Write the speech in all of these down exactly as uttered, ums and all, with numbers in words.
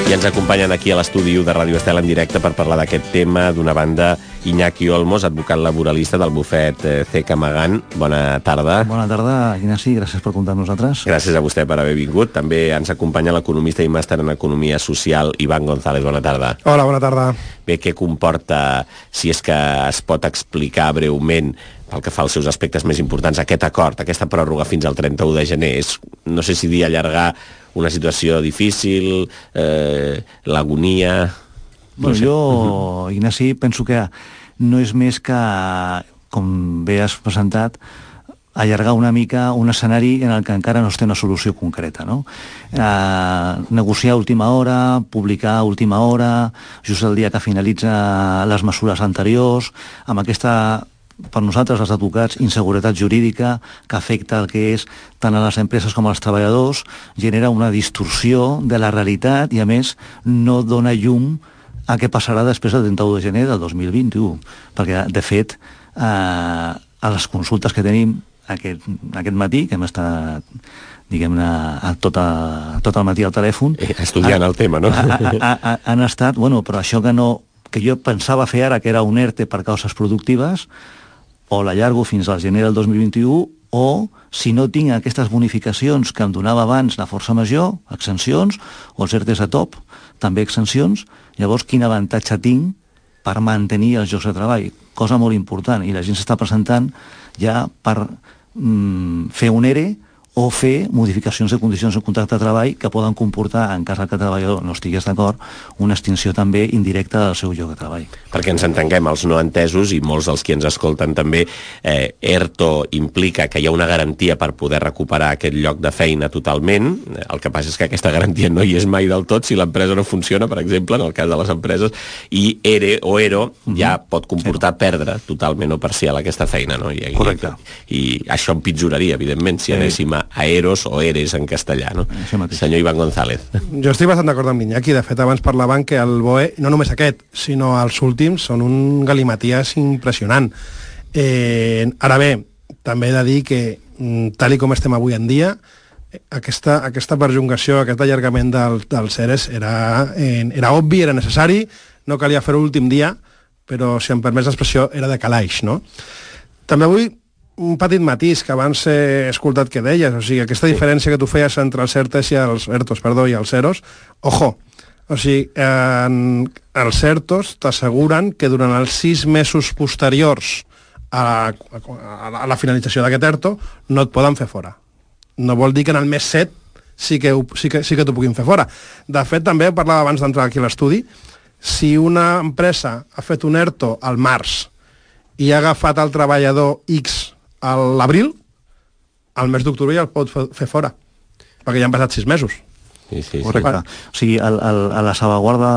I ens acompanyen aquí a l'estudi de Ràdio Estel en directe per parlar d'aquest tema. D'una banda, Iñaki Olmos, advocat laboralista del bufet C. Camagant. Bona tarda. Bona tarda, Ignasi, gràcies per comptar amb nosaltres. Gràcies a vostè per haver vingut. També ens acompanya l'economista i màster en Economia Social, Iván González. Bona tarda. Hola, bona tarda. Bé, què comporta, si és que es pot explicar breument, pel que fa als seus aspectes més importants, aquest acord, aquesta pròrroga fins al trenta-u de gener? És, no sé si dir allargar una situació difícil, eh, l'agonia... Bueno, no sé. Jo, Ignasi, penso que no és més que, com bé has presentat, allargar una mica un escenari en el que encara no es té una solució concreta, no? Eh, negociar a última hora, publicar a última hora, just el dia que finalitza les mesures anteriors, amb aquesta, per nosaltres, els advocats, inseguretat jurídica que afecta el que és tant a les empreses com als treballadors, genera una distorsió de la realitat i, a més, no dona llum a què passarà després del trenta-u de gener del dos mil vint-i-u. Perquè, de fet, eh, a les consultes que tenim aquest, aquest matí, que hem estat, diguem-ne, tot, a, tot el matí al telèfon... Estudiant el tema, no? Ha, ha, ha, han estat, bueno, però això que no que jo pensava fer ara, que era un ERTE per causes productives, o l'allargo fins al gener del dos mil vint-i-u, o, si no tinc aquestes bonificacions que em donava abans la força major, exencions, o els ERTEs a top, també exencions, llavors quin avantatge tinc per mantenir els llocs de treball? Cosa molt important, i la gent s'està presentant ja per mm, fer un ERE o fer modificacions de condicions de contracte de treball que poden comportar, en cas que el treballador no estigués d'acord, una extinció també indirecta del seu lloc de treball. Perquè ens entenguem, els no entesos, i molts dels que ens escolten també, eh, ERTO implica que hi ha una garantia per poder recuperar aquest lloc de feina totalment. El que passa és que aquesta garantia no hi és mai del tot si l'empresa no funciona, per exemple, en el cas de les empreses, i ERE o ERO ja mm-hmm. pot comportar sí. perdre totalment o parcial aquesta feina, no? I, Correcte. I, i això empitjoraria, evidentment, si anéssim a a EROS o ERES en castellà, no? Senyor Iván González. Jo estic bastant d'acord amb l'Iñaki. De fet, abans parlaven que el B O E, no només aquest, sinó els últims, són un galimaties impressionant. Eh, ara bé, també he de dir que, tal i com estem avui en dia, aquesta, aquesta perjungació, aquest allargament del, dels ERES era, eh, era obvi, era necessari, no calia fer-ho l'últim dia, però, si em permets l'expressió, era de calaix, no? També avui un petit matís que abans he escoltat que deies, o sigui, aquesta diferència que tu feies entre els ERTES i els ERTOs, perdó, i els EROs, ojo, o sigui, en, els ERTOs t'asseguren que durant els sis mesos posteriors a, a, a la finalització d'aquest ERTO no et poden fer fora. No vol dir que en el mes set sí que, sí que, sí que t'ho puguin fer fora. De fet, també parlava abans d'entrar aquí a l'estudi, si una empresa ha fet un ERTO al març i ha agafat el treballador X a l'abril, al mes d'octubre ja el pot fer fora, perquè ja han passat sis mesos. Sí, sí, correcte. Sí. O sigui, el, el, la salvaguarda,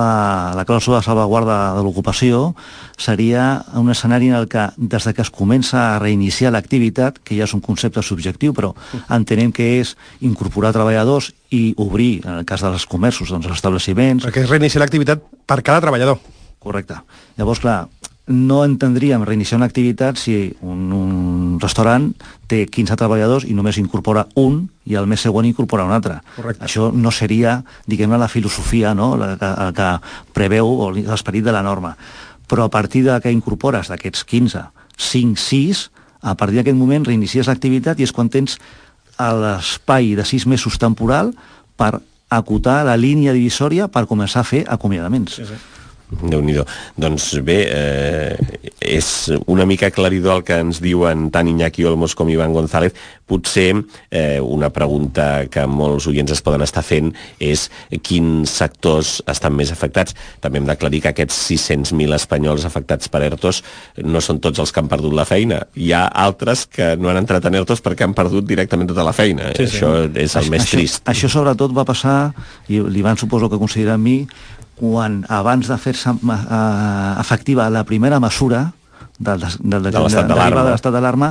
la clàusula de salvaguarda de l'ocupació seria un escenari en el que, des de que es comença a reiniciar l'activitat, que ja és un concepte subjectiu, però entenem que és incorporar treballadors i obrir, en el cas dels comerços, doncs, els estableciments... Perquè és reiniciar l'activitat per cada treballador. Correcte. Llavors, clar, no entendríem reiniciar una activitat si un, un restaurant té quinze treballadors i només incorpora un i el mes següent incorpora un altre. Correcte. Això no seria, diguem-ne, la filosofia, no?, la que, la que preveu l'esperit de la norma. Però a partir de que incorpores d'aquests quinze, cinc, sis, a partir d'aquest moment reinicies l'activitat i és quan tens l'espai de sis mesos temporal per acotar la línia divisòria per començar a fer acomiadaments. Sí, sí. Déu-n'hi-do. Doncs bé, eh, és una mica aclaridor el que ens diuen tant Iñaki Olmos com Iván González. Potser eh, una pregunta que molts oients es poden estar fent és quins sectors estan més afectats. També hem d'aclarir que aquests sis-cents mil espanyols afectats per ERTOs no són tots els que han perdut la feina. Hi ha altres que no han entrat en ERTOs perquè han perdut directament tota la feina. Sí, sí. Això és el això, més trist. Això, això sobretot va passar, i l'Ivan suposo que considera amb mi, quan abans de fer-se uh, efectiva la primera mesura del, del, del, de l'estat d'alarma, de l'estat d'alarma,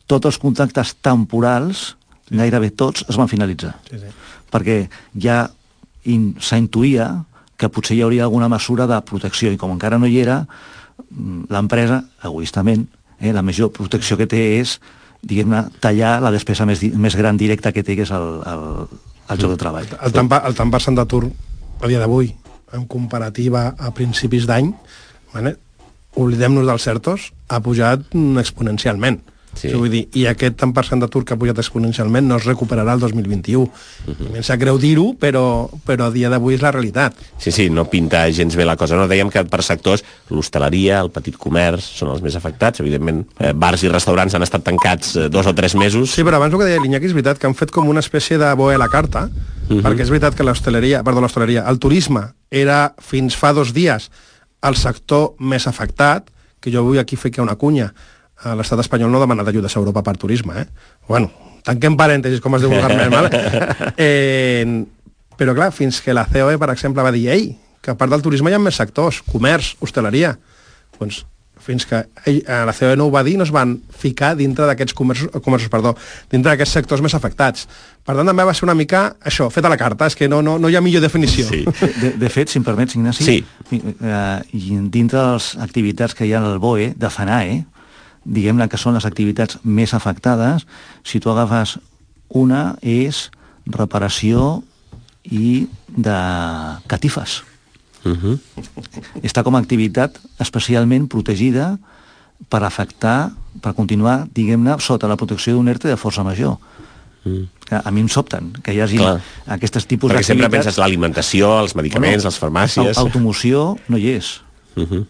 tots els contractes temporals, gairebé tots, es van finalitzar. Sí, sí. Perquè ja in, s'intuïa que potser hi hauria alguna mesura de protecció, i com encara no hi era, l'empresa, egoistament, eh, la major protecció que té és, diguem-ne, tallar la despesa més, més gran directa que té, que és el, el, el lloc de treball. El tant, el tant per cent d'atur a dia d'avui en comparativa a principis d'any, vale? Oblidem-nos dels certos, ha pujat exponencialment. Sí. Vull dir, i aquest tant per cent d'atur que ha pujat exponencialment no es recuperarà el dos mil vint-i-u. Uh-huh. Em sap greu dir-ho, però, però a dia d'avui és la realitat. Sí, sí, no pinta gens bé la cosa. No, dèiem que per sectors, l'hostaleria, el petit comerç, són els més afectats. Evidentment, eh, bars i restaurants han estat tancats eh, dos o tres mesos. Sí, però abans el que deia l'Iñaki és veritat que han fet com una espècie de boe a la carta, uh-huh. perquè és veritat que l'hostaleria, perdó, l'hostaleria, el turisme era fins fa dos dies el sector més afectat, que jo vull aquí fer que una cunya. L'estat espanyol no ha demanat ajudes a Europa per turisme, eh? Bueno, tanquem parèntesis, com es diu vulgarment, vale? eh, però clar, fins que la C O E, per exemple, va dir ei, que a part del turisme hi ha més sectors, comerç, hostaleria. Doncs fins que ell, la C O E no ho va dir, no es van ficar dintre d'aquests comerços, comerços, perdó, dintre d'aquests sectors més afectats. Per tant, també va ser una mica això, fet a la carta, és que no, no, no hi ha millor definició. Sí. De, de fet, si em permets, Ignasi, sí. eh, dintre de les activitats que hi ha al B O E, de FANAE, diguem-ne que són les activitats més afectades, si tu agafes una és reparació i de catifes. Uh-huh. Està com a activitat especialment protegida per afectar, per continuar, diguem-ne, sota la protecció d'un ERTE de força major. Mm. A mi em sobten que hi hagi Clar. Aquests tipus d'activitats. Perquè sempre penses l'alimentació, els medicaments, bueno, les farmàcies... Automoció no hi és. Uh-huh.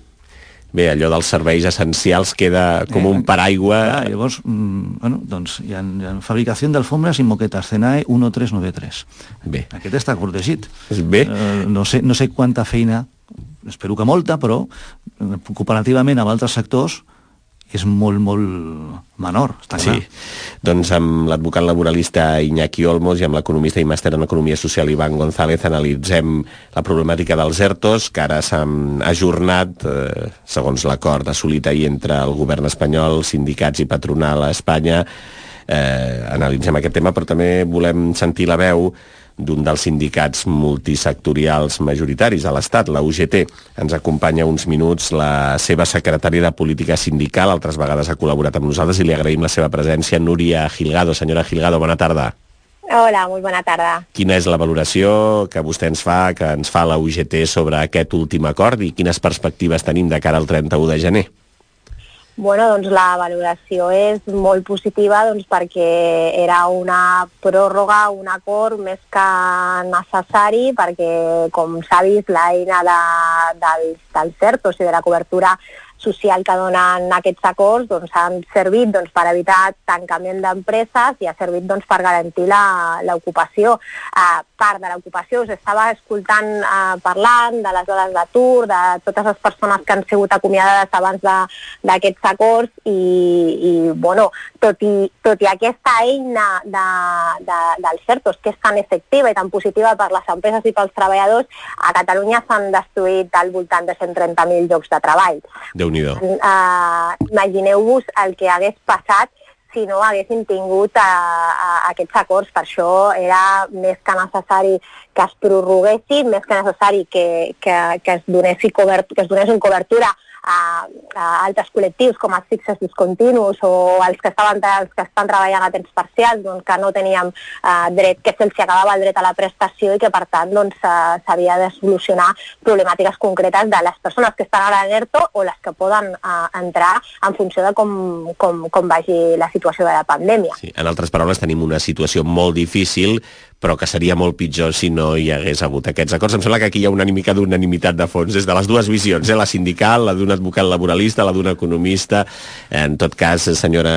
Bé, allò dels serveis essencials queda com eh, un paraigua... Clar, llavors, mm, bueno, doncs hi ha, hi ha fabricació d'alfombres i moquetes, CENAE uno tres nueve tres. Bé. Aquest està cortegit. Bé. Eh, no, sé, no sé quanta feina, espero que molta, però comparativament amb altres sectors és molt, molt menor, està clar. Sí, doncs amb l'advocat laboralista Iñaki Olmos i amb l'economista i màster en Economia Social Iván González analitzem la problemàtica dels ERTOs, que ara s'han ajornat, eh, segons l'acord assolit ahir entre el govern espanyol, sindicats i patronal a Espanya. Eh, analitzem aquest tema, però també volem sentir la veu d'un dels sindicats multisectorials majoritaris a l'Estat, la U G T. Ens acompanya uns minuts la seva secretària de Política Sindical, altres vegades ha col·laborat amb nosaltres i li agraïm la seva presència, Núria Gilgado. Senyora Gilgado, bona tarda. Hola, molt bona tarda. Quina és la valoració que vostè ens fa, que ens fa la U G T sobre aquest últim acord i quines perspectives tenim de cara al trenta-u de gener? Bueno, doncs la valoració és molt positiva doncs, perquè era una pròrroga, un acord més que necessari, perquè, com s'ha vist, l'eina de, dels, dels ERTOs i de la cobertura social que donen aquests acords doncs, han servit doncs, per evitar tancament d'empreses i ha servit doncs, per garantir l'ocupació. Uh, part de l'ocupació, us estava escoltant uh, parlant de les dades d'atur, de totes les persones que han sigut acomiadades abans d'aquests acords i, i bueno, tot i, tot i aquesta eina de, de, dels ERTOs, que és tan efectiva i tan positiva per les empreses i pels treballadors, a Catalunya s'han destruït al voltant de cent trenta mil llocs de treball. Déu-n'hi-do. Uh, imagineu-vos el que hagués passat si no haguessin tingut uh, uh, aquests acords. Per això era més que necessari que es prorroguessin, més que necessari que, que, que, es, donessi cobert, que es donessin cobertura a, a altres col·lectius com els fixes discontinus o els que, estaven, els que estan treballant a temps parcial, doncs, que no teníem uh, dret, que se'ls acabava el dret a la prestació i que per tant doncs, uh, s'havia de solucionar problemàtiques concretes de les persones que estan ara en ERTO o les que poden uh, entrar en funció de com, com, com vagi la situació de la pandèmia. Sí, en altres paraules, tenim una situació molt difícil, però que seria molt pitjor si no hi hagués hagut aquests acords. Em sembla que aquí hi ha una mica d'unanimitat de fons, des de les dues visions, eh? La sindical, la d'un advocat laboralista, la d'un economista. En tot cas, senyora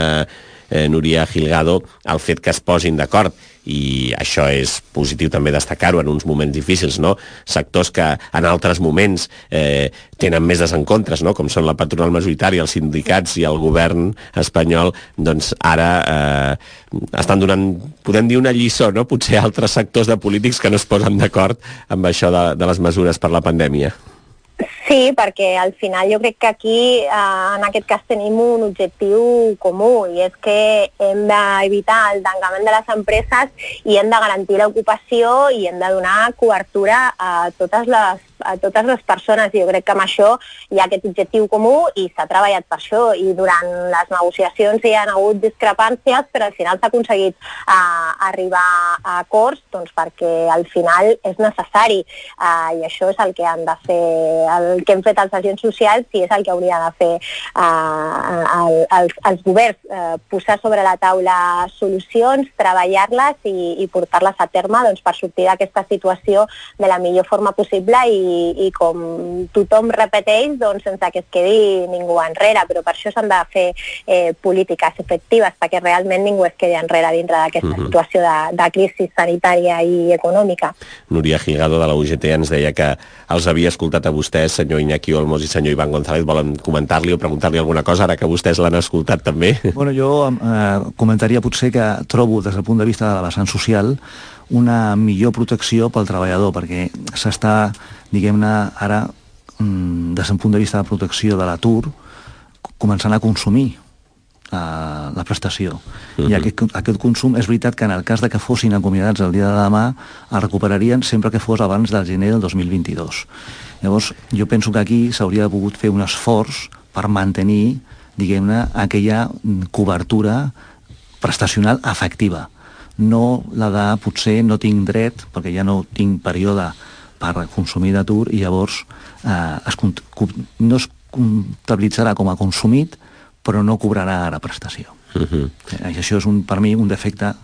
eh, Núria Gilgado, el fet que es posin d'acord, i això és positiu també destacar-ho en uns moments difícils, no? Sectors que en altres moments eh, tenen més desencontres, no? Com són la patronal majoritària, els sindicats i el govern espanyol, doncs ara eh, estan donant, podem dir, una lliçó, no? Potser altres sectors de polítics que no es posen d'acord amb això de, de les mesures per la pandèmia. Sí, perquè al final jo crec que aquí eh, en aquest cas tenim un objectiu comú i és que hem d'evitar el tancament de les empreses i hem de garantir l'ocupació i hem de donar cobertura a totes les a totes les persones, i jo crec que amb això hi ha aquest objectiu comú i s'ha treballat per això, i durant les negociacions hi ha hagut discrepàncies, però al final s'ha aconseguit uh, arribar a acords, doncs perquè al final és necessari, uh, i això és el que han de fer, el que hem fet els agents socials, i és el que hauria de fer uh, el, els, els governs, uh, posar sobre la taula solucions, treballar-les i, i portar-les a terme, doncs, per sortir d'aquesta situació de la millor forma possible i, i com tothom repeteix, doncs, sense que es quedi ningú enrere, però per això s'han de fer eh, polítiques efectives perquè realment ningú es quedi enrere dintre d'aquesta uh-huh. situació de, de crisi sanitària i econòmica. Núria Gilgado de la U G T ens deia que els havia escoltat a vostès, senyor Iñaki Olmos i senyor Iván González. Volen comentar-li o preguntar-li alguna cosa ara que vostès l'han escoltat també? Bueno, jo eh, comentaria potser que trobo des del punt de vista de la vessant social una millor protecció pel treballador, perquè s'està, diguem-ne, ara, des del punt de vista de protecció de l'atur, començant a consumir uh, la prestació. Uh-huh. I aquest, aquest consum, és veritat que en el cas de que fossin acomiadats el dia de demà, el recuperarien sempre que fos abans del gener del dos mil vint-i-dos. Llavors, jo penso que aquí s'hauria pogut fer un esforç per mantenir, diguem-ne, aquella cobertura prestacional efectiva. No la de, potser no tinc dret, perquè ja no tinc període per consumir d'atur, i llavors eh, es, no es comptabilitzarà com a consumit, però no cobrarà ara prestació. Uh-huh. Eh, això és, un, per mi, un defecte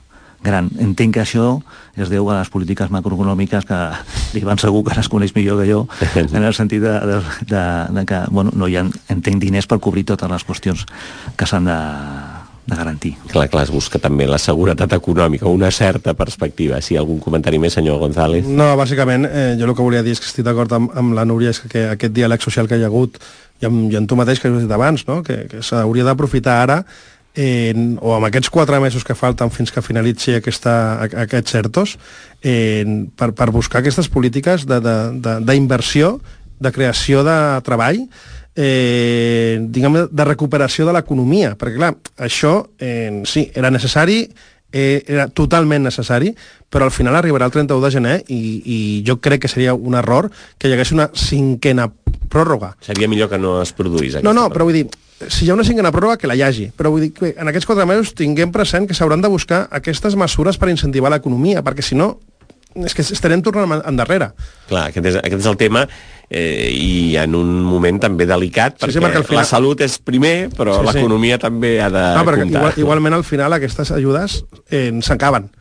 gran. Entenc que això es deu a les polítiques macroeconòmiques que l'Ivan segur que les coneix millor que jo, en el sentit de, de, de, de que bueno, no hi ha, entenc, diners per cobrir totes les qüestions que s'han de de garantir. Clar, clar, es busca també la seguretat econòmica, una certa perspectiva. Si sí, algun comentari més, senyor González? No, bàsicament, eh, jo el que volia dir és que estic d'acord amb, amb la Núria, és que aquest diàleg social que hi ha hagut, i amb, i amb tu mateix, que has dit abans, no? que, que s'hauria d'aprofitar ara, eh, o amb aquests quatre mesos que falten fins que finalitzi aquesta, aquests certos, eh, per, per buscar aquestes polítiques d'inversió, de, de, de, de creació de treball, Eh, diguem, de recuperació de l'economia, perquè clar, això eh, sí, era necessari, eh, era totalment necessari, però al final arribarà el trenta-u de gener i, i jo crec que seria un error que hi hagués una cinquena pròrroga. Seria millor que no es produís aquesta. No, no, però vull dir, si hi ha una cinquena pròrroga, que la hi hagi, però vull dir que en aquests quatre mesos tinguem present que s'hauran de buscar aquestes mesures per incentivar l'economia, perquè si no és que estarem tornant endarrere. Clar, aquest és, aquest és el tema, eh, i en un moment també delicat, perquè sí, sí, final... la salut és primer, però sí, l'economia sí. també ha de no, comptar. Igual, igualment, al final, aquestes ajudes eh, s'acaben.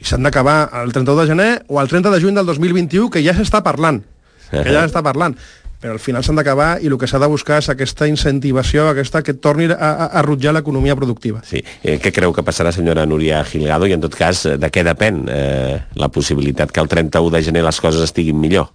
I s'han d'acabar el trenta-u de gener o el trenta de juny del dos mil vint-i-u, que ja s'està parlant. Que ja s'està parlant. Però al final s'han d'acabar i el que s'ha de buscar és aquesta incentivació, aquesta que torni a, a, a rutjar l'economia productiva. Sí. Eh, què creu que passarà, senyora Núria Gilgado? I en tot cas, de què depèn eh, la possibilitat que el trenta-u de gener les coses estiguin millor?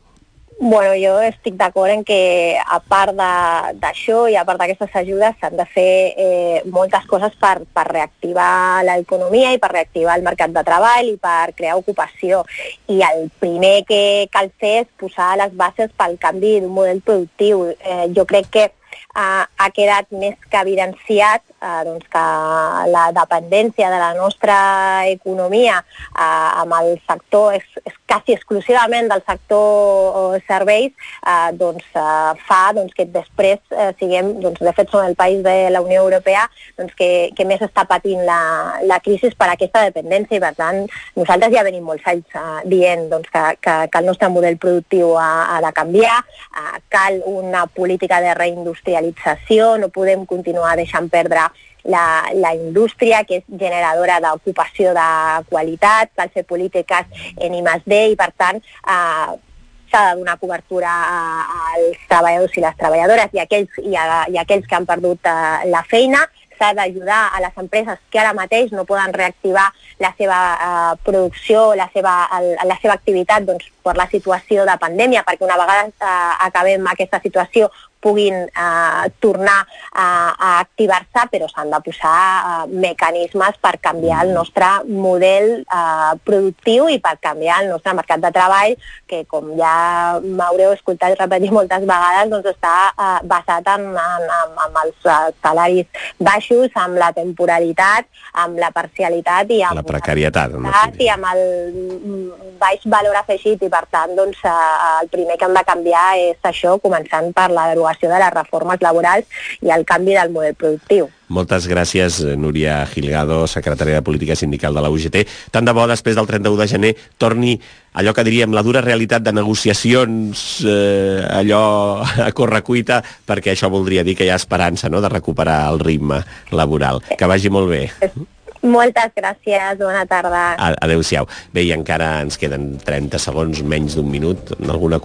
Bueno, jo estic d'acord en que a part d'això i a part d'aquestes ajudes s'han de fer eh, moltes coses per, per reactivar l'economia i per reactivar el mercat de treball i per crear ocupació. I el primer que cal fer és posar les bases pel canvi d'un model productiu. Eh, jo crec que eh, ha quedat més que evidenciat eh, doncs que la dependència de la nostra economia eh, amb el sector és, és quasi exclusivament del sector serveis, eh, doncs eh, fa doncs, que després eh, siguem, doncs, de fet som el país de la Unió Europea doncs, que, que més està patint la, la crisi per aquesta dependència, i per tant nosaltres ja venim molts anys eh, dient doncs, que, que, que el nostre model productiu ha, ha de canviar, eh, cal una política de reindustrialització, no podem continuar deixant perdre La, la indústria, que és generadora d'ocupació de qualitat, cal fer polítiques en I més D i, per tant, eh, s'ha de donar cobertura als treballadors i les treballadores i aquells, i a, i aquells que han perdut eh, la feina. S'ha d'ajudar a les empreses que ara mateix no poden reactivar la seva eh, producció, la seva, el, la seva activitat doncs, per la situació de pandèmia, perquè una vegada eh, acabem aquesta situació puguin eh, tornar a, a activar-se, però s'han de posar eh, mecanismes per canviar el nostre model eh, productiu i per canviar el nostre mercat de treball, que com ja m'haureu escoltat repetir moltes vegades, doncs està eh, basat en, en, en, en els salaris baixos, amb la temporalitat, amb la parcialitat i amb la precarietat, i amb el baix valor afegit, i per tant doncs, el primer que hem de canviar és això, començant per la derogació de les reformes laborals i el canvi del model productiu. Moltes gràcies, Núria Gilgado, secretària de Política Sindical de la U G T. Tant de bo, després del trenta-u de gener, torni allò que diríem la dura realitat de negociacions, eh, allò a correcuita, perquè això voldria dir que hi ha esperança, no?, de recuperar el ritme laboral. Que vagi molt bé. Moltes gràcies, bona tarda. Adéu-siau. Bé, i encara ens queden trenta segons, menys d'un minut, en alguna